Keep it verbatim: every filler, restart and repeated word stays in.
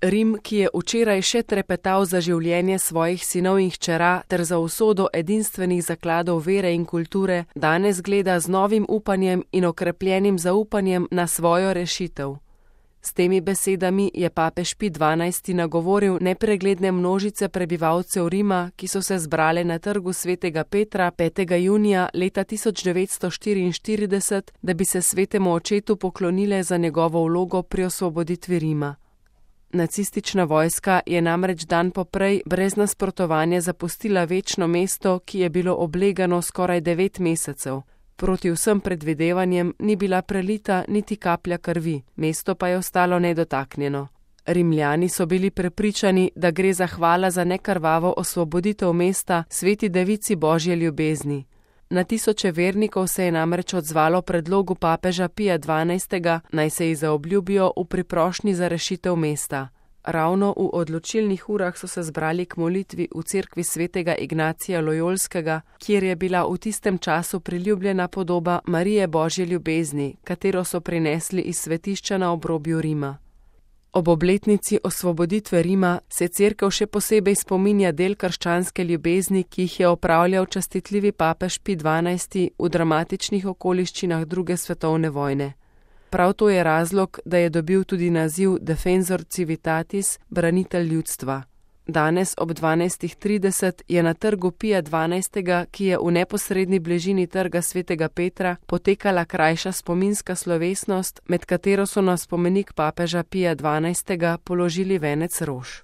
Rim, ki je včeraj še trepetal za življenje svojih sinov in hčera ter za usodo edinstvenih zakladov vere in kulture, danes gleda z novim upanjem in okrepljenim zaupanjem na svojo rešitev. S temi besedami je papež Pij dvanajsti nagovoril nepregledne množice prebivalcev Rima, ki so se zbrale na trgu svetega Petra petega junija leta tisoč devetsto štiriinštirideset, da bi se svetemu očetu poklonile za njegovo vlogo pri osvoboditvi Rima. Nacistična vojska je namreč dan poprej brez nasprotovanja zapustila večno mesto, ki je bilo oblegano skoraj devet mesecev. Proti vsem predvidevanjem ni bila prelita niti kaplja krvi, mesto pa je ostalo nedotaknjeno. Rimljani so bili prepričani, da gre za hvala za nekrvavo osvoboditev mesta sveti devici Božje ljubezni. Na tisoče vernikov se je namreč odzvalo predlogu papeža Pija dvanajstega, naj se ji zaobljubijo v priprošnji za rešitev mesta. Ravno v odločilnih urah so se zbrali k molitvi v cerkvi svetega Ignacija Lojolskega, kjer je bila v tistem času priljubljena podoba Marije Božje ljubezni, katero so prinesli iz svetišča na obrobju Rima. Ob obletnici osvoboditve Rima se cerkev še posebej spominja del krščanske ljubezni, ki jih je opravljal častitljivi papež Pij dvanajsti v dramatičnih okoliščinah druge svetovne vojne. Prav to je razlog, da je dobil tudi naziv Defensor Civitatis, branitelj ljudstva. Danes ob dvanajstih trideset je na trgu Pija dvanajstega, ki je v neposredni bližini trga svetega Petra, potekala krajša spominska slovesnost, med katero so na spomenik papeža Pija dvanajstega položili venec rož.